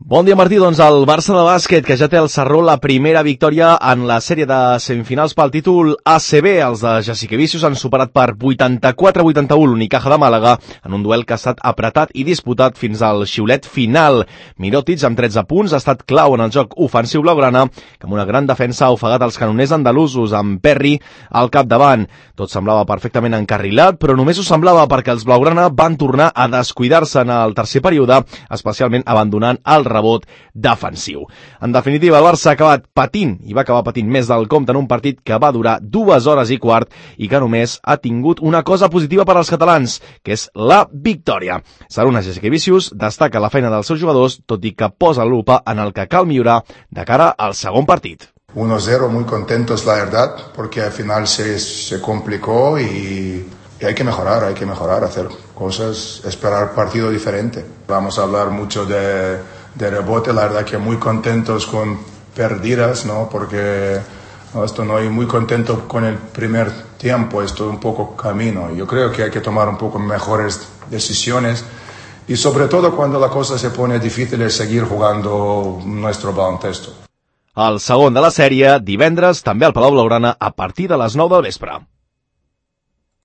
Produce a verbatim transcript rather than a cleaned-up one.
Bon dia, Martí. Doncs el Barça de bàsquet, que ja té al Sarró la primera victòria en la sèrie de semifinals pel títol A C B. Els de Jasikevičius han superat per vuitanta-quatre a vuitanta-u l'Unicaja de Màlaga en un duel que ha estat apretat i disputat fins al xiulet final. Mirotic, amb tretze punts, ha estat clau en el joc ofensiu blaugrana, que amb una gran defensa ha ofegat els canoners andalusos, amb Perry al capdavant. Tot semblava perfectament encarrilat, però només ho semblava perquè els blaugrana van tornar a descuidar-se en el tercer període, especialment abandonant el rebot defensiu. En definitiva, el Barça ha acabat patint, i va acabar patint més del compte en un partit que va durar dues hores i quart i que només ha tingut una cosa positiva per als catalans, que és la victòria. Sarunas Jasikevičius destaca la feina dels seus jugadors, tot i que posa la lupa en el que cal millorar de cara al segon partit. uno cero, muy contentos la verdad, porque al final se, se complicó y... Y hay que mejorar, hay que mejorar, hacer cosas, esperar partido diferente. Vamos a hablar mucho de, de rebote, la verdad que muy contentos con perdidas, ¿no? Porque no, esto no, y muy contento con el primer tiempo, esto un poco camino. Yo creo que hay que tomar un poco mejores decisiones y sobre todo cuando la cosa se pone difícil es seguir jugando nuestro baloncesto. El segon de la sèrie, divendres, també al Palau Blaugrana, a partir de les nou del vespre.